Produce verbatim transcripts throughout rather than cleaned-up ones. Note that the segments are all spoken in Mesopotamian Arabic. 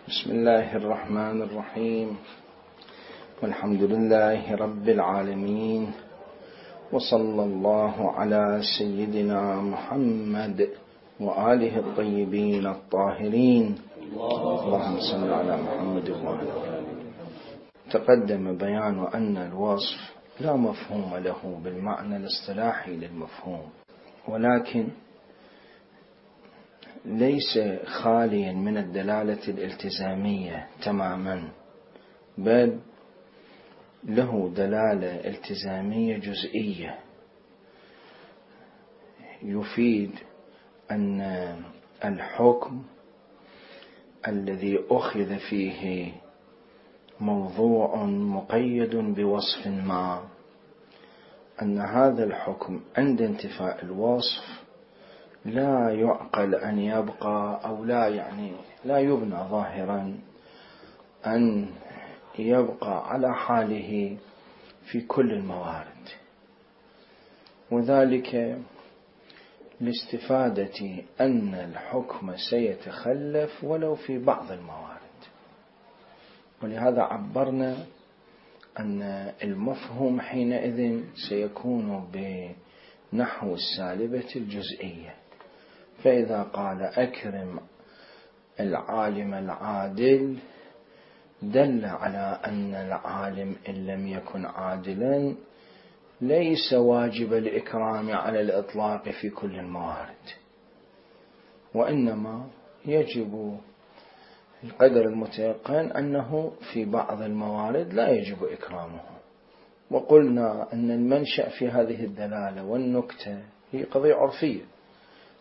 بسم الله الرحمن الرحيم، والحمد لله رب العالمين، وصلى الله على سيدنا محمد وآله الطيبين الطاهرين. اللهم صل على محمد وآله. تقدم بيان أن الوصف لا مفهوم له بالمعنى الاصطلاحي للمفهوم، ولكن ليس خاليا من الدلالة الالتزامية تماما، بل له دلالة التزامية جزئية، يفيد أن الحكم الذي أخذ فيه موضوع مقيد بوصف ما، أن هذا الحكم عند انتفاء الوصف لا يعقل أن يبقى أو لا يعني لا يبنى ظاهرا أن يبقى على حاله في كل الموارد، وذلك لاستفادة أن الحكم سيتخلف ولو في بعض الموارد. ولهذا عبرنا أن المفهوم حينئذ سيكون بنحو السالبة الجزئية. فإذا قال أكرم العالم العادل، دل على أن العالم إن لم يكن عادلا ليس واجب الإكرام على الإطلاق في كل الموارد، وإنما يجب القدر المتيقن أنه في بعض الموارد لا يجب إكرامه. وقلنا أن المنشأ في هذه الدلالة والنكتة هي قضية عرفية،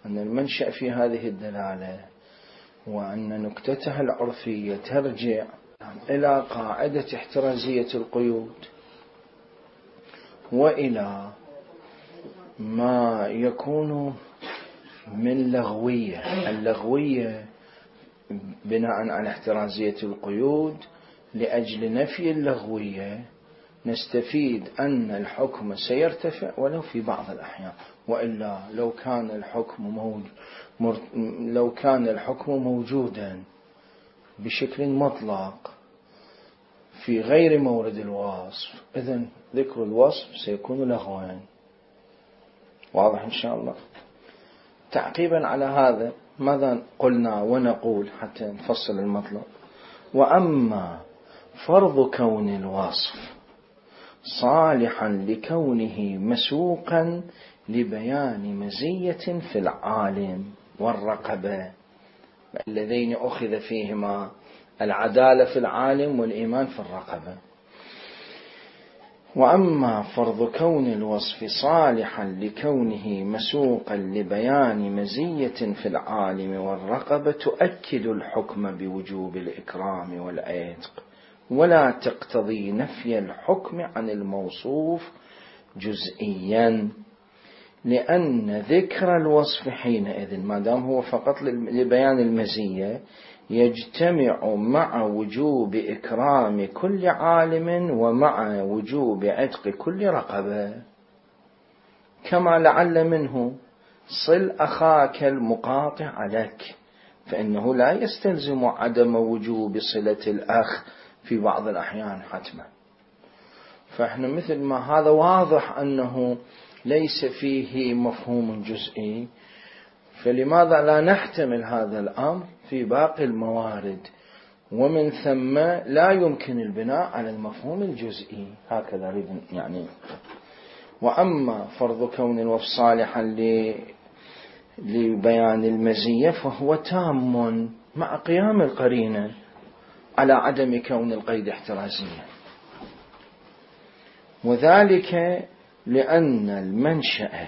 أن المنشأ في هذه الدلالة وأن نكتتها العرفية ترجع إلى قاعدة احترازية القيود، وإلى ما يكون من لغوية. اللغوية بناء على احترازية القيود، لأجل نفي اللغوية نستفيد أن الحكم سيرتفع ولو في بعض الأحيان، وإلا لو كان الحكم موجود لو كان الحكم موجودا بشكل مطلق في غير مورد الوصف، إذن ذكر الوصف سيكون لغوا. واضح إن شاء الله؟ تعقيبا على هذا ماذا قلنا ونقول حتى نفصل المطلب؟ وأما فرض كون الوصف صالحا لكونه مسوقا لبيان مزية في العالم والرقبة، اللذين أخذ فيهما العدالة في العالم والإيمان في الرقبة. وأما فرض كون الوصف صالحا لكونه مسوقا لبيان مزية في العالم والرقبة تؤكد الحكم بوجوب الإكرام والعتق، ولا تقتضي نفي الحكم عن الموصوف جزئيا، لأن ذكر الوصف حينئذ ما دام هو فقط لبيان المزية يجتمع مع وجوب إكرام كل عالم ومع وجوب عتق كل رقبة، كما لعل منه صل أخاك المقاطع لك، فإنه لا يستلزم عدم وجوب صلة الأخ في بعض الأحيان حتما. فإحنا مثل ما هذا واضح أنه ليس فيه مفهوم جزئي، فلماذا لا نحتمل هذا الأمر في باقي الموارد، ومن ثم لا يمكن البناء على المفهوم الجزئي. هكذا أريد يعني. وأما فرض كون الوصف صالحا لبيان المزية فهو تام مع قيام القرينة على عدم كون القيد احترازيا، وذلك لأن المنشأ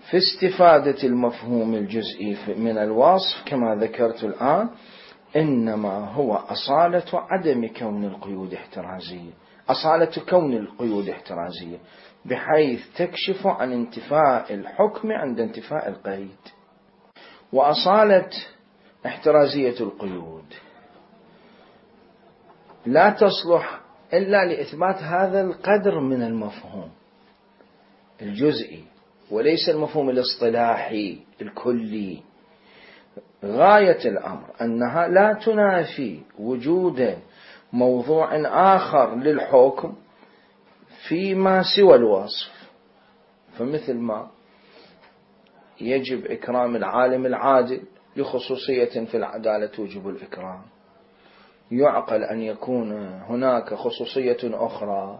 في استفادة المفهوم الجزئي من الوصف كما ذكرت الآن إنما هو أصالة عدم كون القيود احترازية، أصالة كون القيود احترازية، بحيث تكشف عن انتفاء الحكم عند انتفاء القيد. وأصالة احترازية القيود لا تصلح إلا لإثبات هذا القدر من المفهوم الجزئي، وليس المفهوم الاصطلاحي الكلي. غاية الأمر أنها لا تنافي وجود موضوع آخر للحكم فيما سوى الوصف. فمثل ما يجب إكرام العالم العادل لخصوصية في العدالة توجب الإكرام، يعقل أن يكون هناك خصوصية أخرى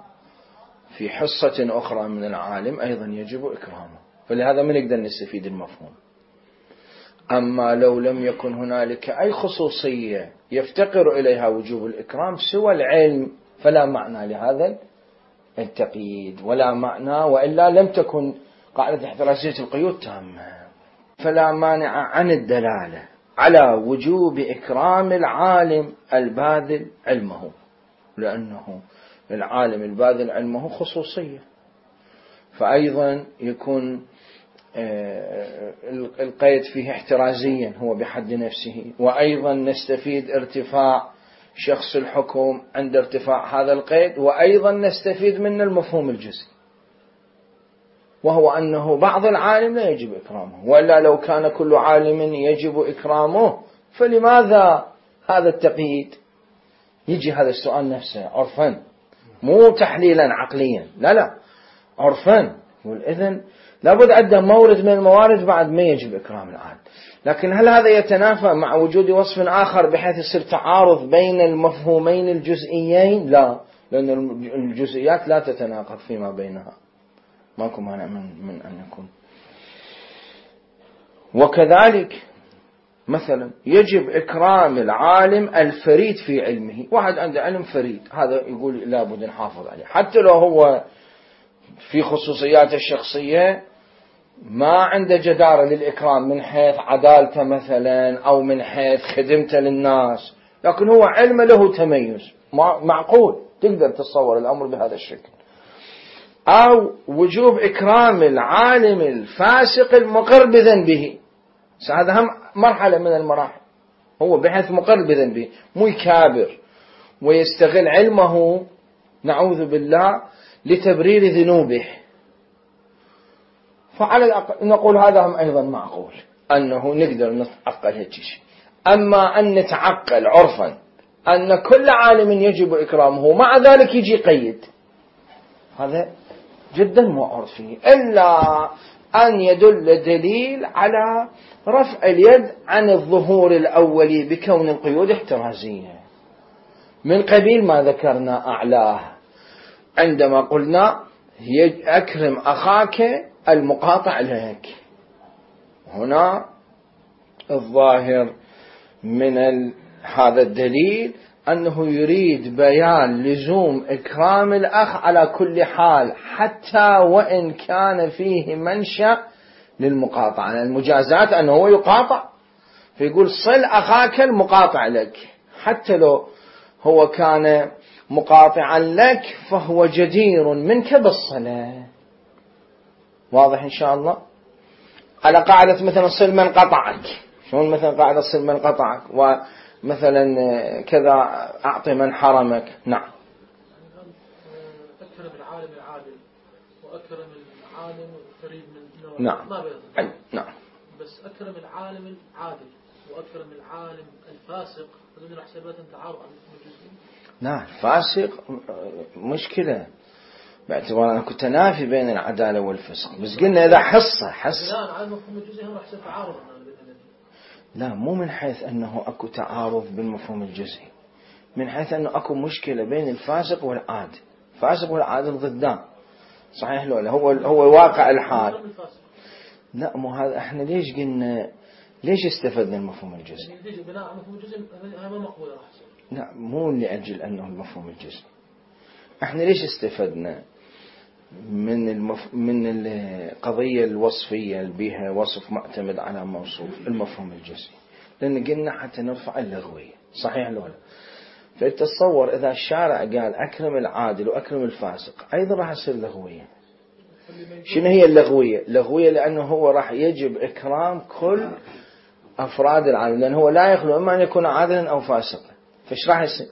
في حصة أخرى من العالم أيضا يجب إكرامه، فلهذا ما نقدر نستفيد المفهوم. أما لو لم يكن هنالك أي خصوصية يفتقر إليها وجوب الإكرام سوى العلم فلا معنى لهذا التقييد ولا معنى، وإلا لم تكن قاعدة احترازية القيود تامة. فلا مانع عن الدلالة على وجوب إكرام العالم الباذل علمه، لأنه العالم الباذل علمه خصوصية، فأيضا يكون القيد فيه احترازيا هو بحد نفسه، وأيضا نستفيد ارتفاع شخص الحكم عند ارتفاع هذا القيد، وأيضا نستفيد من المفهوم الجزئي، وهو أنه بعض العالم لا يجب إكرامه، وإلا لو كان كل عالم يجب إكرامه فلماذا هذا التقييد؟ يجي هذا السؤال نفسه عرفا، مو تحليلا عقليا، لا لا عرفا. والإذن لابد عنده مورد من الموارد بعد ما يجب إكرام العالم. لكن هل هذا يتنافى مع وجود وصف آخر بحيث يصير تعارض بين المفهومين الجزئيين؟ لا، لأن الجزئيات لا تتناقض فيما بينها، ماكو مانع من, من أن يكون. وكذلك مثلا يجب إكرام العالم الفريد في علمه، واحد عنده علم فريد هذا يقول لابد نحافظ عليه، حتى لو هو في خصوصيات الشخصية ما عنده جدارة للإكرام من حيث عدالته مثلا أو من حيث خدمته للناس، لكن هو علم له تميز معقول، تقدر تتصور الأمر بهذا الشكل. أو وجوب إكرام العالم الفاسق المقر بذنبه، هذا هم مرحلة من المراحل، هو بحيث مقر بذنبه مو يكابر ويستغل علمه نعوذ بالله لتبرير ذنوبه، فعلى الأقل نقول هذا هم أيضا معقول أنه نقدر نتعقل هيك شيء. أما أن نتعقل عرفا أن كل عالم يجب إكرامه مع ذلك يجي قيد، هذا جدا مو عرفي، إلا أن يدل دليل على رفع اليد عن الظهور الأولي بكون القيود احترازية، من قبيل ما ذكرنا أعلاه عندما قلنا أكرم أخاك المقاطع لك. هنا الظاهر من هذا الدليل أنه يريد بيان لزوم إكرام الأخ على كل حال، حتى وإن كان فيه منشأ للمقاطعة، يعني المجازات أنه هو يقاطع، فيقول صل أخاك المقاطع لك، حتى لو هو كان مقاطعا لك فهو جدير منك بالصلاة. واضح إن شاء الله؟ على قاعدة مثلا صل من قطعك، شلون مثلا قاعدة صل من قطعك، ومثلا كذا أعطي من حرمك. نعم. أكرم العالم العادل وأكرم العالم الفريد من نعم. ما بيضبط. نعم. بس أكرم العالم العادل وأكرم العالم الفاسق هذول حسابات تعارض عن الجزئي. نعم، فاسق مشكلة باعتبار أنه تنافي بين العدالة والفسق، بس قلنا إذا حصة حص لا على المفهوم الجزئي هم حسب تعارض. لا، مو من حيث أنه أكو تعارض بالمفهوم الجزئي، من حيث أنه أكو مشكلة بين الفاسق والعادل. الفاسق والعادل ضدان، صحيح لولا هو هو واقع الحال. لا، مو هذا احنا ليش قلنا ليش استفدنا المفهوم الجزئي؟ يعني بناء على المفهوم الجزئي هذا ما مقبول راح يصير. لا، مو لأجل أنه المفهوم الجزئي. احنا ليش استفدنا من المف... من القضية الوصفية اللي بها وصف معتمد على موصوف المفهوم الجزئي؟ لأن قلنا حتى نرفع اللغوية، صحيح لولا؟ فتصور إذا الشارع قال أكرم العادل وأكرم الفاسق أيضا راح يصير لغوية. شنو هي اللغوية؟ لغوية لأنه هو راح يجب إكرام كل أفراد العالم، لأنه هو لا يخلو إما أن يكون عادلا أو فاسقا، فإيش راح يصير؟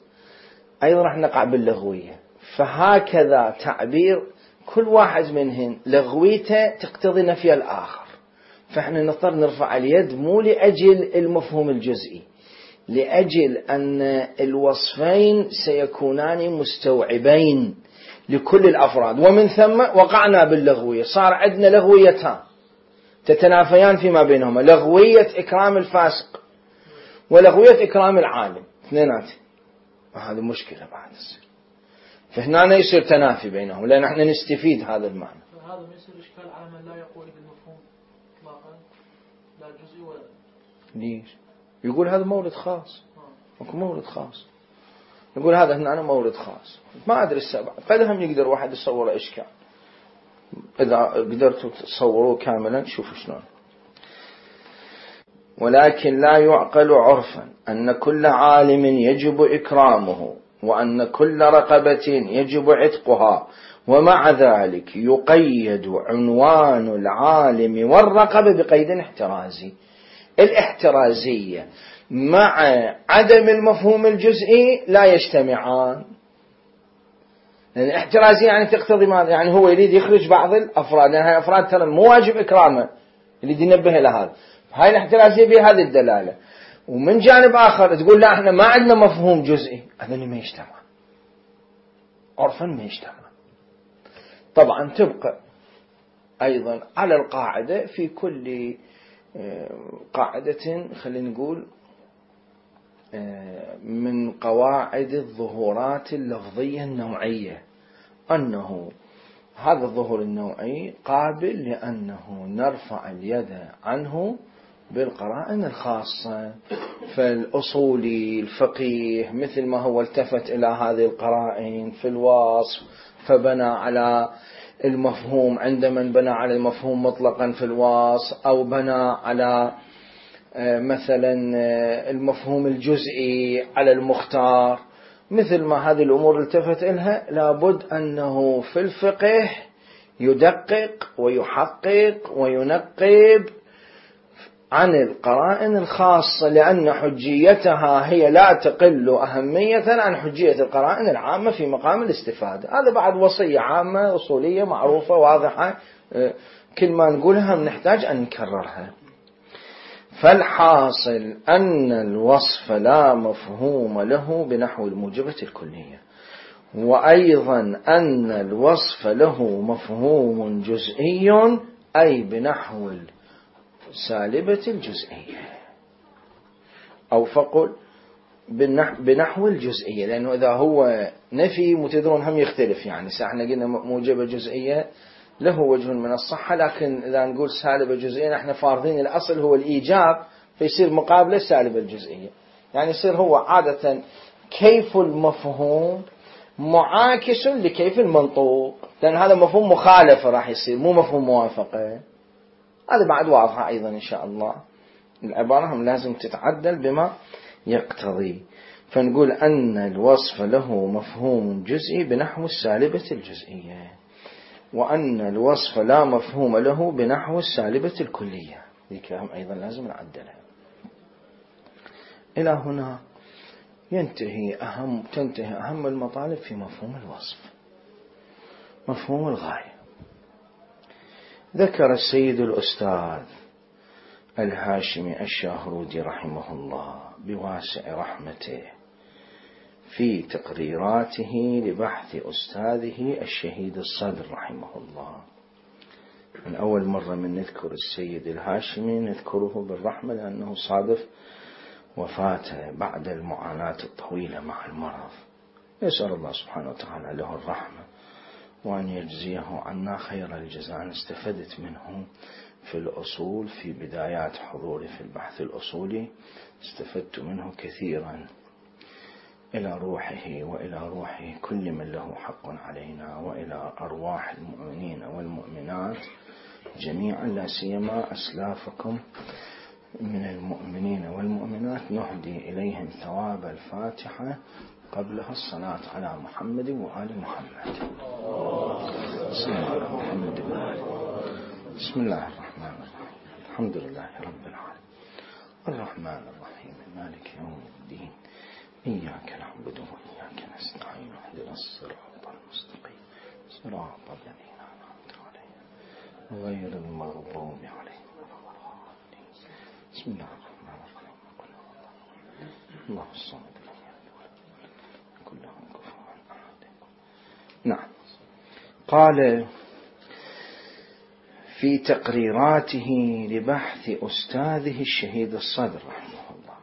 أيضا راح نقع باللغوية. فهكذا تعبير كل واحد منهم لغويته تقتضي نفي الآخر، فإحنا نضطر نرفع اليد مو لأجل المفهوم الجزئي، لأجل أن الوصفين سيكونان مستوعبين لكل الأفراد، ومن ثم وقعنا باللغوية، صار عندنا لغويتان تتنافيان فيما بينهما، لغوية إكرام الفاسق ولغوية إكرام العالم، اثنينات، وهذه مشكلة بعد السر. فهنا يصير تنافي بينهم، لأن احنا نستفيد هذا المعنى. هذا ما يصير إشكال على من لا يقول بالمفهوم إطلاقا، لا جزئي ولا ليش؟ يقول هذا مورد خاص، ماكو مورد خاص، يقول هذا هنا مورد خاص، ما أدري السبب، قد هم يقدر واحد يصور إشكال، إذا قدرتوا تصوروه كاملا شوفوا شلون. ولكن لا يعقل عرفا أن كل عالم يجب إكرامه، وأن كل رقبة يجب عتقها، ومع ذلك يقيد عنوان العالم والرقبة بقيد احترازي. الاحترازية مع عدم المفهوم الجزئي لا يجتمعان، لأن الاحترازية يعني تقتضي ماذا؟ يعني هو يريد يخرج بعض الأفراد، لأن هاي الأفراد ترى مو واجب إكرامه، يريد ينبه إلى هذا، هاي الاحترازية بهذه الدلالة. ومن جانب آخر تقول لا احنا ما عندنا مفهوم جزئي، هذا ما يجتمع، عرفا ما يجتمع. طبعا تبقى أيضا على القاعدة في كل قاعدة، خلينا نقول من قواعد الظهورات اللفظية النوعية، أنه هذا الظهور النوعي قابل لأنه نرفع اليد عنه بالقرائن الخاصة. فالأصولي الفقيه مثل ما هو التفت إلى هذه القرائن في الوصف فبنى على المفهوم، عندما بنى على المفهوم مطلقا في الوصف، أو بنى على مثلا المفهوم الجزئي على المختار، مثل ما هذه الأمور التفت إلها، لابد أنه في الفقه يدقق ويحقق وينقب عن القرائن الخاصة، لأن حجيتها هي لا تقل أهمية عن حجية القرائن العامة في مقام الاستفادة. هذا بعد وصية عامة أصولية معروفة واضحة، كل ما نقولها نحتاج أن نكررها. فالحاصل أن الوصف لا مفهوم له بنحو الموجبة الكلية، وأيضا أن الوصف له مفهوم جزئي أي بنحو سالبة الجزئية، أو فقل بنحو الجزئية، لأنه إذا هو نفي متدرون هم يختلف، يعني ساحنا قلنا موجبة جزئية له وجه من الصحة، لكن إذا نقول سالبة جزئية نحن فارضين الأصل هو الإيجاب، فيصير مقابلة سالبة الجزئية، يعني يصير هو عادة كيف المفهوم معاكس لكيف المنطوق، لأن هذا مفهوم مخالفة راح يصير مو مفهوم موافقة. هذا بعد واضحة أيضا إن شاء الله، العبارة هم لازم تتعدل بما يقتضي. فنقول أن الوصف له مفهوم جزئي بنحو السالبة الجزئية، وأن الوصف لا مفهوم له بنحو السالبة الكلية، ذيك هم أيضا لازم نعدلها. إلى هنا ينتهي أهم تنتهي أهم المطالب في مفهوم الوصف. مفهوم الغاية ذكر السيد الأستاذ الهاشمي الشاهرودي رحمه الله بواسع رحمته في تقريراته لبحث أستاذه الشهيد الصدر رحمه الله. من أول مرة من نذكر السيد الهاشمي نذكره بالرحمة، لأنه صادف وفاته بعد المعاناة الطويلة مع المرض. يسأل الله سبحانه وتعالى له الرحمة، وأن يجزيه عنا خير الجزاء. استفدت منه في الأصول في بدايات حضوري في البحث الأصولي، استفدت منه كثيرا، إلى روحه وإلى روح كل من له حق علينا، وإلى أرواح المؤمنين والمؤمنات جميعا، لا سيما أسلافكم من المؤمنين والمؤمنات، نهدي إليهم ثواب الفاتحة قبلها الصلاة على محمد وآل محمد. بسم الله الرحمن الرحيم. الحمد لله رب العالمين، الرحمن الرحيم، مالك يوم الدين، إياك نعبد وإياك نستعين، اهدنا الصراط المستقيم، صراط الذين أنعمت عليهم غير المغضوب عليهم. بسم الله الرحمن الرحيم. الله الصمد كله كفوا أحد. نعم. قال في تقريراته لبحث أستاذه الشهيد الصدر رحمه الله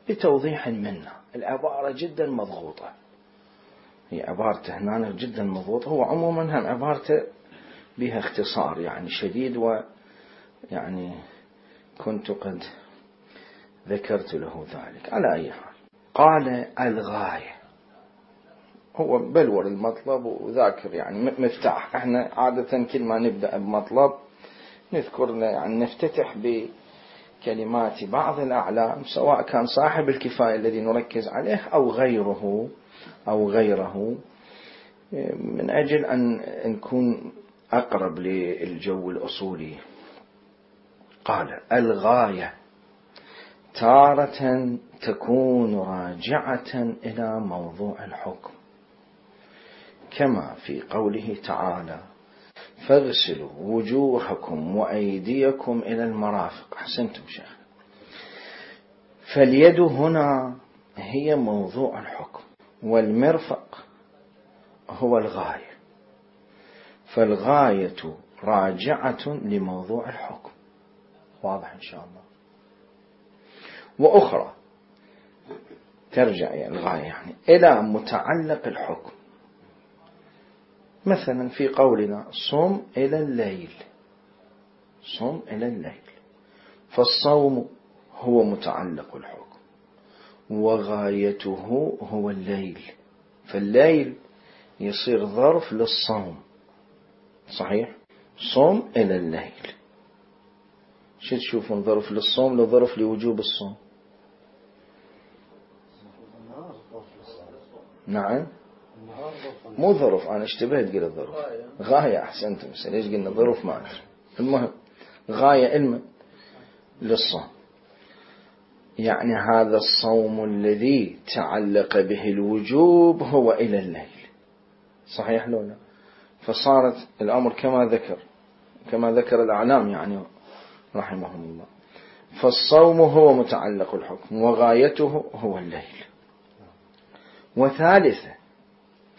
بتوضيح منه، العبارة جدا مضغوطة، هي عبارته هنا جدا مضغوطة، هو عموما هم عبارته بها اختصار يعني شديد، ويعني كنت قد ذكرت له ذلك. على أي حال قال الغاية، هو بلور المطلب وذاكر يعني مفتاح. احنا عادة كل ما نبدأ بمطلب نذكر يعني نفتتح بكلمات بعض الأعلام، سواء كان صاحب الكفاية الذي نركز عليه أو غيره أو غيره، من أجل أن نكون أقرب للجو الأصولي. قال الغاية تارة تكون راجعة إلى موضوع الحكم، كما في قوله تعالى فاغسلوا وجوهكم وأيديكم إلى المرافق. أحسنتم شيخ. فاليد هنا هي موضوع الحكم، والمرفق هو الغاية، فالغاية راجعة لموضوع الحكم. واضح إن شاء الله. وأخرى ترجع يعني الغاية يعني إلى متعلق الحكم، مثلا في قولنا صم إلى الليل، صم إلى الليل، فالصوم هو متعلق الحكم وغايته هو الليل، فالليل يصير ظرف للصوم. صحيح؟ صم إلى الليل، شو تشوفون ظرف للصوم لظرف لوجوب الصوم؟ نعم مو ظرف، أنا اشتبهت قلت ظرف، غاية. أحسنتم. ليش قلنا ظرف ما أدري. المهم غاية علم للصوم، يعني هذا الصوم الذي تعلق به الوجوب هو إلى الليل. صحيح لو لا؟ فصارت الأمر كما ذكر كما ذكر الأعلام يعني رحمهم الله، فالصوم هو متعلق الحكم وغايته هو الليل. وثالثة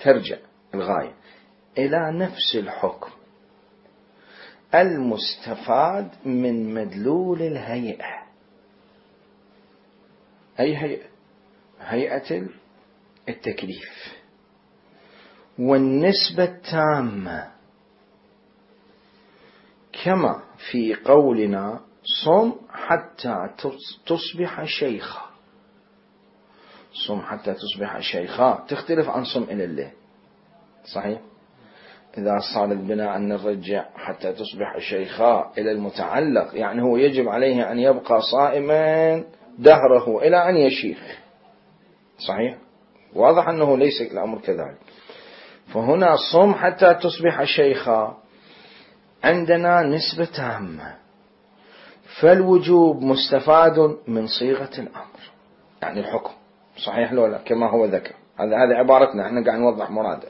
ترجع الغاية إلى نفس الحكم المستفاد من مدلول الهيئة. أي هيئة؟ هيئة التكليف، والنسبة التامة، كما في قولنا صم حتى تصبح شيخا. صم حتى تصبح شيخا تختلف عن صم إلى الليل. صحيح؟ إذا صار البناء أن نرجع حتى تصبح شيخا إلى المتعلق، يعني هو يجب عليه أن يبقى صائما دهره إلى أن يشيخ. صحيح؟ واضح أنه ليس الأمر كذلك. فهنا صم حتى تصبح شيخا عندنا نسبة تامة، فالوجوب مستفاد من صيغة الأمر يعني الحكم. صحيح لو لا؟ كما هو ذكر، هذا هذه عبارتنا، احنا قاعد نوضح مراده.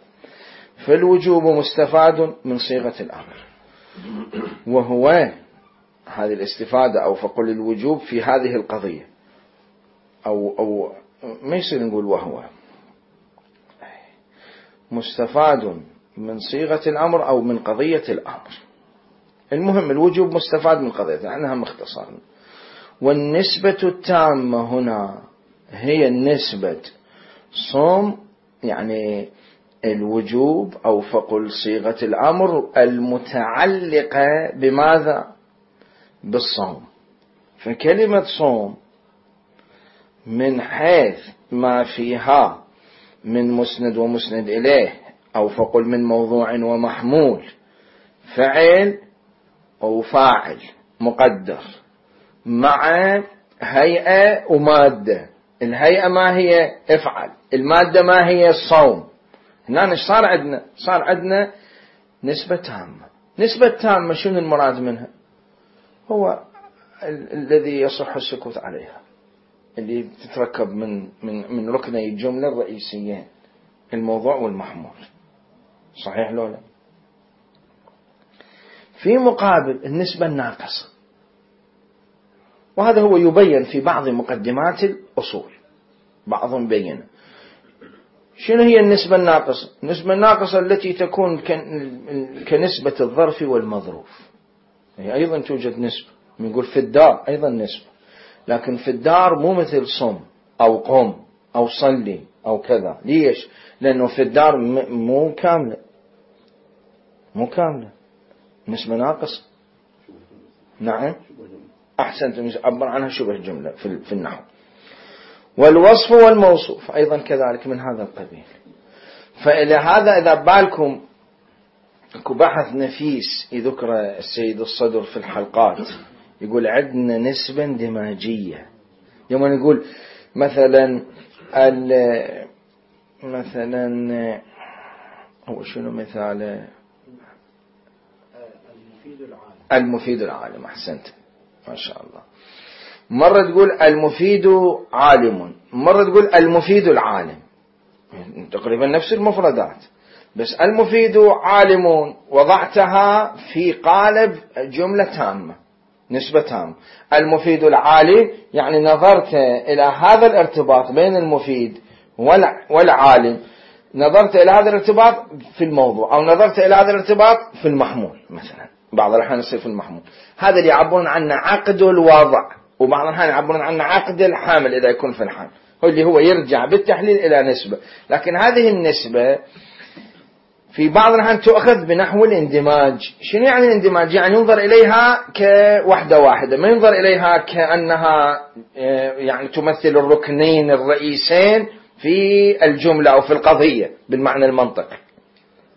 فالوجوب مستفاد من صيغة الأمر، وهو هذه الاستفادة أو فقل الوجوب في هذه القضية، أو أو ما يصير نقول وهو مستفاد من صيغة الأمر أو من قضية الأمر. المهم الوجوب مستفاد من قضية، عنها مختصر. والنسبة التامة هنا هي النسبة صوم يعني الوجوب أو فقل صيغة الأمر المتعلقة بماذا؟ بالصوم. فكلمة صوم من حيث ما فيها من مسند ومسند إليه، أو فقل من موضوع ومحمول، فعل أو فاعل مقدر مع هيئة ومادة. الهيئة ما هي؟ افعل. المادة ما هي؟ الصوم. هنا ايش صار عندنا؟ صار عندنا نسبة تامة. نسبة تامة شنو المراد منها؟ هو ال- الذي يصح السكوت عليها، اللي تتركب من من من ركني الجملة الرئيسيين، الموضوع والمحمول. صحيح لو لا؟ في مقابل النسبة الناقصة، وهذا هو يبين في بعض مقدمات الأصول، بعضهم بينه. شنو هي النسبة الناقصة؟ النسبة الناقصة التي تكون كنسبة الظرف والمظروف، هي أيضا توجد نسبة. نقول في الدار أيضا نسبة، لكن في الدار مو مثل صم أو قم أو صلي أو كذا. ليش؟ لأنه في الدار مو كاملة، مو كاملة، نسبة ناقصة. نعم أحسنت، عبر عنها شبه جملة في النحو. والوصف والموصوف أيضا كذلك من هذا القبيل. فإلى هذا إذا بالكم اكو بحث نفيس يذكر السيد الصدر في الحلقات، يقول عندنا نسبة اندماجية. يوم نقول مثلا مثلا هو شنو مثاله؟ المفيد العالم. المفيد العالم، أحسنت ما شاء الله. مرة تقول المفيد عالم، مرة تقول المفيد العالم، تقريبا نفس المفردات، بس المفيد عالم وضعتها في قالب جملة تامة، نسبة تامة. المفيد العالم يعني نظرت إلى هذا الارتباط بين المفيد والعالم، نظرت إلى هذا الارتباط في الموضوع، أو نظرت إلى هذا الارتباط في المحمول مثلا. بعض الأحيان يصير في المحمول، هذا اللي يعبرون عنه عقد الوضع، وبعض الأحيان يعبرون عنه عقد الحامل إذا يكون في الحال، هو اللي هو يرجع بالتحليل إلى نسبة. لكن هذه النسبة في بعض الأحيان تؤخذ بنحو الاندماج. شنو يعني الاندماج؟ يعني ينظر إليها كوحدة واحدة، ما ينظر إليها كأنها يعني تمثل الركنين الرئيسين في الجملة أو في القضية بالمعنى المنطقي.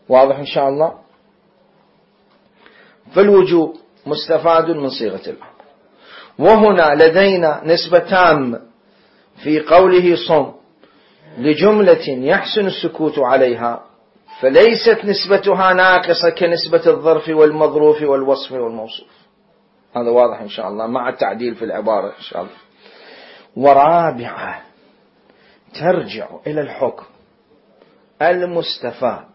واضح إن شاء الله؟ فالوجوب مستفاد من صيغة الأمر. وهنا لدينا نسبة تامة في قوله صم لجملة يحسن السكوت عليها، فليست نسبتها ناقصة كنسبة الظرف والمظروف والوصف والموصوف. هذا واضح إن شاء الله مع التعديل في العبارة إن شاء الله. ورابعة ترجع إلى الحكم المستفاد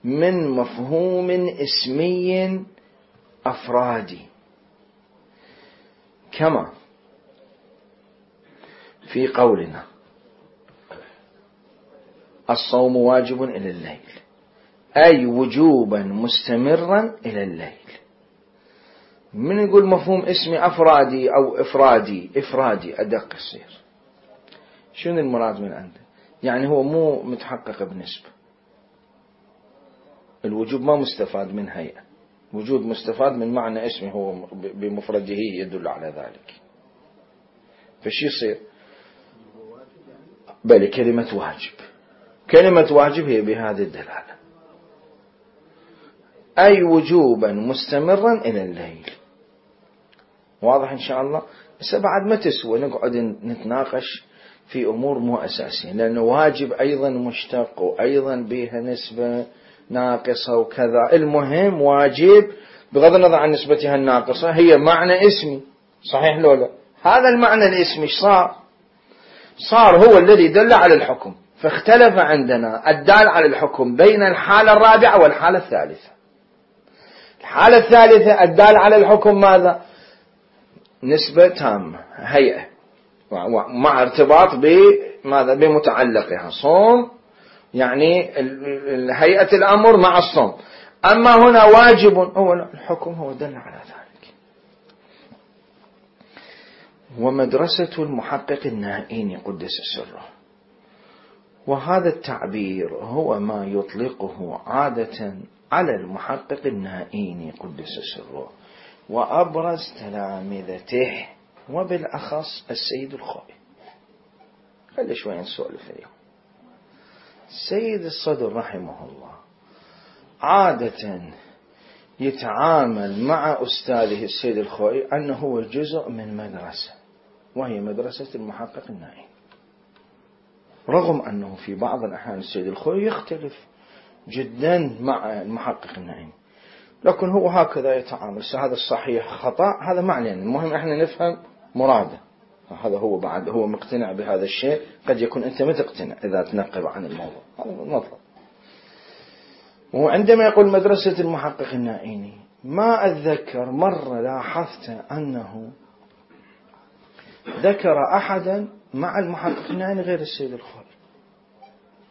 من مفهوم اسمي أفرادي، كما في قولنا الصوم واجب إلى الليل، أي وجوبا مستمرا إلى الليل. من يقول مفهوم اسمي أفرادي أو إفرادي، إفرادي أدق يصير. شنو المراد من عنده؟ يعني هو مو متحقق بنسبة. الوجوب ما مستفاد من هيئة، وجود مستفاد من معنى اسمي، هو بمفرده يدل على ذلك. فشي يصير؟ بل كلمة واجب، كلمة واجب هي بهذه الدلالة، أي وجوبا مستمرا إلى الليل. واضح إن شاء الله؟ بس بعد ما تسوى نقعد نتناقش في أمور مو أساسية، لأنه واجب أيضا مشتق وأيضا بها نسبة ناقصة وكذا. المهم واجب بغض النظر عن نسبتها الناقصة هي معنى اسمي، صحيح لو لا؟ هذا المعنى الاسمي صار صار هو الذي دل على الحكم. فاختلف عندنا الدال على الحكم بين الحالة الرابعة والحالة الثالثة. الحالة الثالثة الدال على الحكم ماذا؟ نسبة تامة، هيئة، مع ارتباط بماذا؟ بمتعلقها. صوم يعني هيئة الأمر مع الصوم. أما هنا واجب، هو الحكم هو دل على ذلك. ومدرسة المحقق النائين قدس سره، وهذا التعبير هو ما يطلقه عادة على المحقق النائين قدس سره وأبرز تلامذته، وبالأخص السيد الخوئي. خلي شوي نسولف اليوم. السيد الصدر رحمه الله عادة يتعامل مع أستاذه السيد الخوئي أنه هو جزء من مدرسة، وهي مدرسة المحقق النائين، رغم أنه في بعض الأحيان السيد الخوئي يختلف جدا مع المحقق النائين، لكن هو هكذا يتعامل. هذا الصحيح خطأ هذا معنى، المهم احنا نفهم مراده. هذا هو بعد هو مقتنع بهذا الشيء، قد يكون أنت ما تقتنع إذا تنقب عن الموضوع، هذا مطلب. وعندما يقول مدرسة المحقق النائيني، ما أتذكر مرة لاحظت أنه ذكر أحدا مع المحقق النائيني غير السيد الخوئي،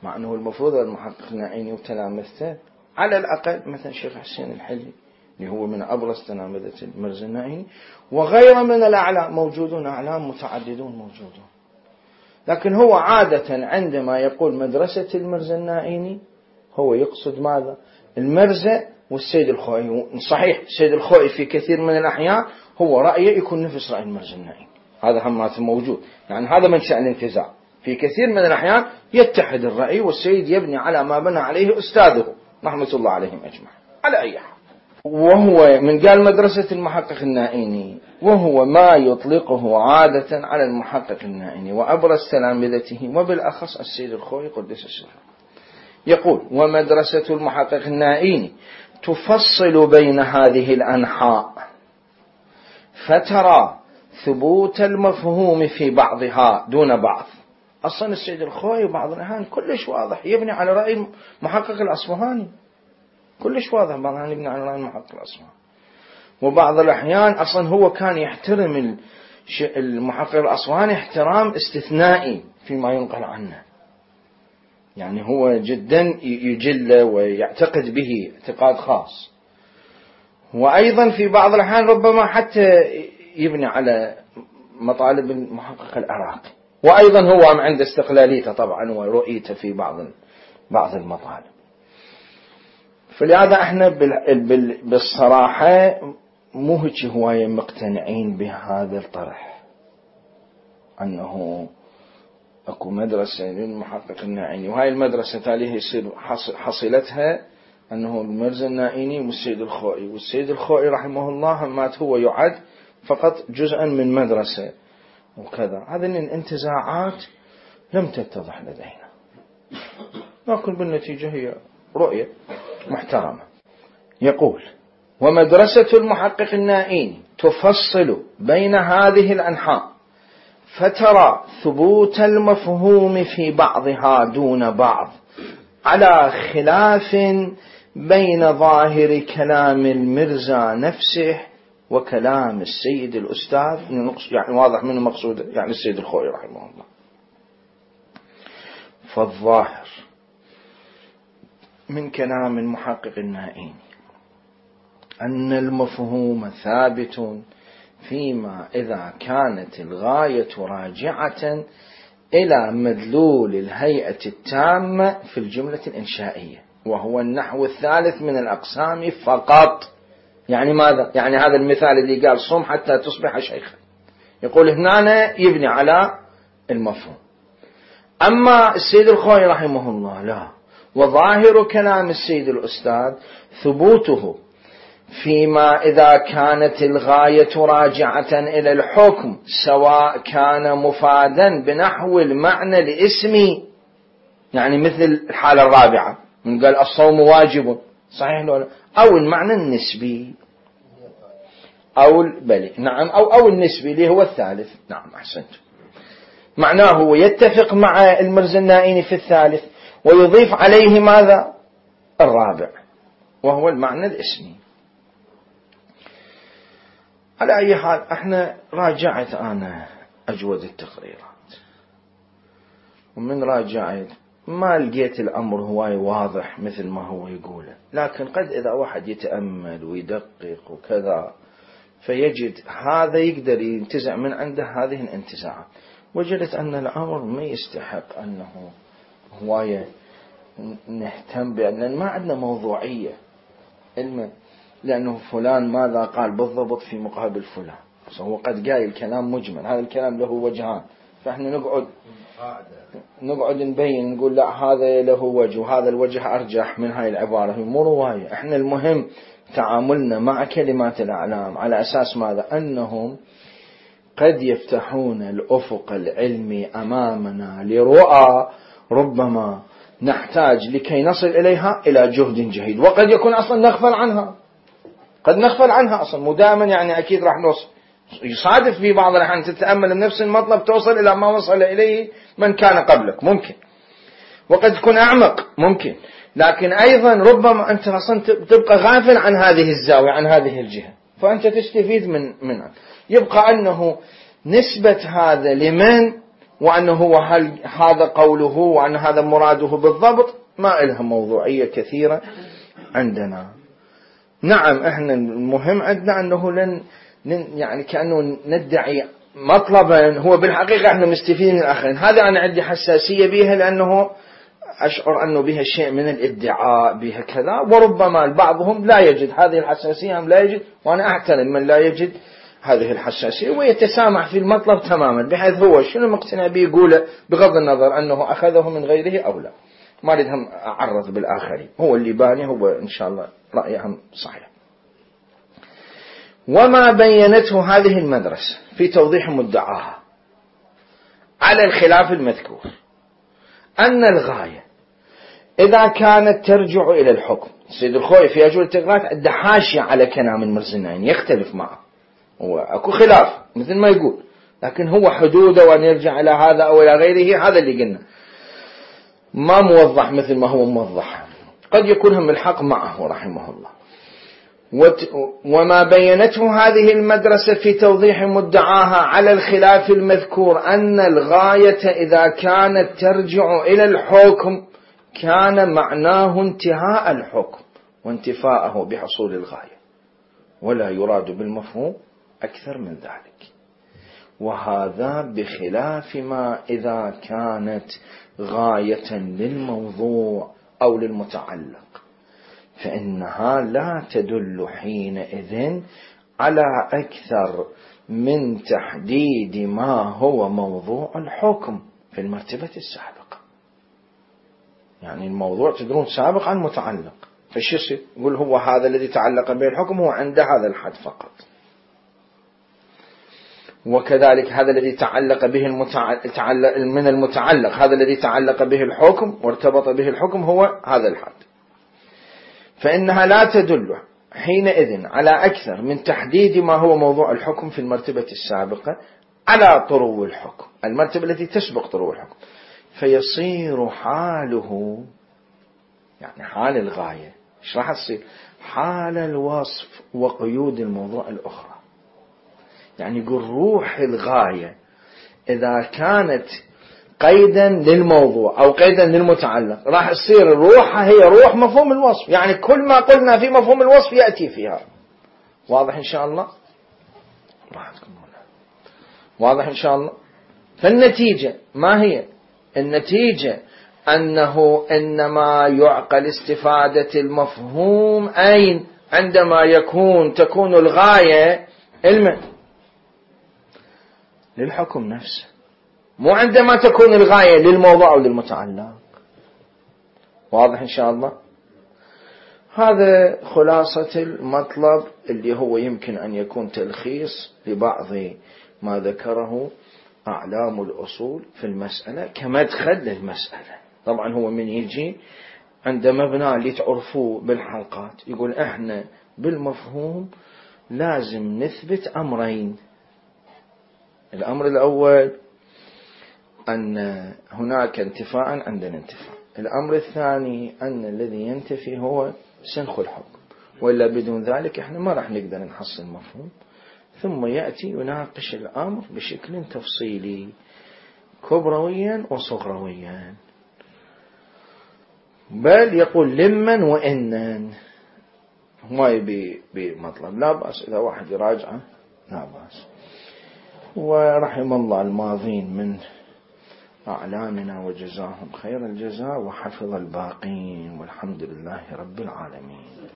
مع أنه المفروض المحقق النائيني وتلامذته على الأقل مثلا الشيخ حسين الحلي اللي هو من أبرز تلامذة المرزا النائيني، وغيره من الأعلام موجودون، أعلام متعددون موجودون. لكن هو عادة عندما يقول مدرسة المرزا النائيني هو يقصد ماذا؟ المرزا والسيد الخوئي. صحيح السيد الخوئي في كثير من الأحيان هو رأيه يكون نفس رأي المرزا النائيني، هذا هم موجود، يعني هذا من شأن الانتزاع. في كثير من الأحيان يتحد الرأي والسيد يبني على ما بنى عليه أستاذه رحمة الله عليهم أجمع. على أي حال، وهو من قال مدرسة المحقق النائيني وهو ما يطلقه عادة على المحقق النائيني وأبرز تلامذته وبالأخص السيد الخوئي قدس سره. يقول: ومدرسة المحقق النائيني تفصل بين هذه الأنحاء فترى ثبوت المفهوم في بعضها دون بعض. أصلا السيد الخوئي بعض الأحيان كلش واضح يبني على رأي المحقق الأصفهاني، كلش واضح بعض الأحيان يبني على رأي المحقق الأصفهاني، وبعض الأحيان أصلا هو كان يحترم المحقق الأصفهاني احترام استثنائي فيما ينقل عنه، يعني هو جدا يجل ويعتقد به اعتقاد خاص. وأيضا في بعض الأحيان ربما حتى يبني على مطالب المحقق العراقي، وأيضا هو عند استقلاليته طبعا ورؤيته في بعض بعض المطالب. فلهذا احنا بالصراحة مو هيك هواية مقتنعين بهذا الطرح أنه أكو مدرسة للمحقق النائيني، وهاي المدرسة تاليه يصير حصيلتها أنه المرزا النائيني والسيد الخوئي، والسيد الخوئي رحمه الله مات هو يعد فقط جزءا من مدرسة وكذا. هذه الانتزاعات لم تتضح لدينا، لكن بالنتيجة هي رؤية محترمة. يقول: ومدرسة المحقق النائيني تفصل بين هذه الأنحاء فترى ثبوت المفهوم في بعضها دون بعض على خلاف بين ظاهر كلام المرزا نفسه وكلام السيد الأستاذ، يعني واضح من المقصود يعني السيد الخوئي رحمه الله. فالظاهر من كلام المحقق النائيني أن المفهوم ثابت فيما إذا كانت الغاية راجعة إلى مدلول الهيئة التامة في الجملة الإنشائية، وهو النحو الثالث من الأقسام فقط. يعني ماذا؟ يعني هذا المثال اللي قال صم حتى تصبح شيخا، يقول هنا يبني على المفهوم. أما السيد الخوئي رحمه الله لا، وظاهر كلام السيد الأستاذ ثبوته فيما إذا كانت الغاية راجعة إلى الحكم سواء كان مفادا بنحو المعنى الاسمي، يعني مثل الحالة الرابعة من قال الصوم واجب، صحيح لولا، أو المعنى النسبي أو بلي نعم أو أو النسبي اللي هو الثالث. نعم أحسنت، معناه يتفق مع المرزا النائيني في الثالث ويضيف عليه ماذا؟ الرابع وهو المعنى الاسمي. على أي حال احنا راجعت أنا أجود التقريرات، ومن راجعت ما لقيت الأمر هواي واضح مثل ما هو يقوله، لكن قد إذا واحد يتأمل ويدقق وكذا فيجد هذا يقدر ينتزع من عنده هذه الانتزاعات. وجدت أن الأمر ما يستحق أنه هواية نهتم به، لأن ما عندنا موضوعية علم، لأنه فلان ماذا قال بالضبط في مقابل فلان، هو قد قايل كلام مجمل، هذا الكلام له وجهان، فإحنا نقعد نقعد نبين نقول لا هذا له وجه وهذا الوجه أرجح من هاي العبارة، مو رواية. إحنا المهم تعاملنا مع كلمات الأعلام على أساس ماذا؟ أنهم قد يفتحون الأفق العلمي أمامنا لرؤى ربما نحتاج لكي نصل إليها إلى جهد جهيد، وقد يكون أصلا نغفل عنها، قد نغفل عنها أصلا مو دائما، يعني أكيد راح نوصل، يصادف في بعض الأحيان تتأمل بنفس المطلب توصل إلى ما وصل إليه من كان قبلك ممكن، وقد تكون أعمق ممكن، لكن أيضا ربما أنت أصلا تبقى غافل عن هذه الزاوية عن هذه الجهة، فأنت تستفيد من منها. يبقى أنه نسبة هذا لمن وأنه هو هل هذا قوله وأن هذا مراده بالضبط ما إلها موضوعية كثيرة عندنا. نعم احنا المهم عندنا أنه لن يعني كأنه ندعي مطلبا هو بالحقيقة احنا مستفيدين من الآخرين. هذا أنا عندي حساسية بها لأنه أشعر أنه بها شيء من الادعاء بها كذا، وربما بعضهم لا يجد هذه الحساسية أم لا يجد، وأنا أحترم من لا يجد هذه الحساسية ويتسامح في المطلب تماما، بحيث هو شنو مقتنع به يقوله بغض النظر أنه أخذه من غيره أو لا. ما أريدهم أعرض بالآخرين، هو اللي باني هو إن شاء الله رأيهم صحيح. وما بينته هذه المدرسة في توضيح مدعاها على الخلاف المذكور أن الغاية إذا كانت ترجع إلى الحكم. سيد الخوي في أجوبة التقريرات عنده حاشية على كلام المرزنين يختلف معه، هو أكو خلاف مثل ما يقول، لكن هو حدوده وأن يرجع إلى هذا أو إلى غيره هذا اللي قلنا ما موضح مثل ما هو موضح، قد يكون هم الحق معه رحمه الله. وما بينته هذه المدرسة في توضيح مدعاها على الخلاف المذكور أن الغاية إذا كانت ترجع إلى الحكم كان معناه انتهاء الحكم وانتفاءه بحصول الغاية، ولا يراد بالمفهوم أكثر من ذلك. وهذا بخلاف ما إذا كانت غاية للموضوع أو للمتعلق، فإنها لا تدل حينئذ على أكثر من تحديد ما هو موضوع الحكم في المرتبة السابقة. يعني الموضوع تدرون سابق عن متعلق، فش يصير؟ يقول هو هذا الذي تعلق به الحكم هو عند هذا الحد فقط، وكذلك هذا الذي تعلق به المتعلق من المتعلق هذا الذي تعلق به الحكم وارتبط به الحكم هو هذا الحد. فإنها لا تدل حينئذ على أكثر من تحديد ما هو موضوع الحكم في المرتبة السابقة على طرو الحكم، المرتبة التي تسبق طرو الحكم، فيصير حاله يعني حال الغاية ايش راح تصير؟ حال الوصف وقيود الموضوع الأخرى. يعني يقول روح الغاية إذا كانت قيدا للموضوع أو قيدا للمتعلق راح تصير روحها هي روح مفهوم الوصف، يعني كل ما قلنا في مفهوم الوصف يأتي فيها. واضح إن شاء الله؟ واضح إن شاء الله؟ فالنتيجة ما هي؟ النتيجة أنه إنما يعقل استفادة المفهوم أين؟ عندما يكون تكون الغاية علما للحكم نفسه، مو عندما تكون الغاية للموضوع أو للمتعلق. واضح إن شاء الله؟ هذا خلاصة المطلب اللي هو يمكن أن يكون تلخيص لبعض ما ذكره أعلام الأصول في المسألة كمدخل للمسألة. طبعا هو من يجي عند مبنى اللي تعرفوه بالحلقات يقول احنا بالمفهوم لازم نثبت أمرين. الأمر الأول أن هناك انتفاء عندنا انتفاء، الأمر الثاني أن الذي ينتفي هو سنخ الحكم، وإلا بدون ذلك احنا ما راح نقدر نحصل مفهوم. ثم يأتي يناقش الأمر بشكل تفصيلي كبرويا وصغرويا، بل يقول لمن وإنن ما يبي بمطلب. لا بأس إذا واحد يراجعه لا بأس. ورحم الله الماضين من أعلامنا وجزاهم خير الجزاء وحفظ الباقين، والحمد لله رب العالمين.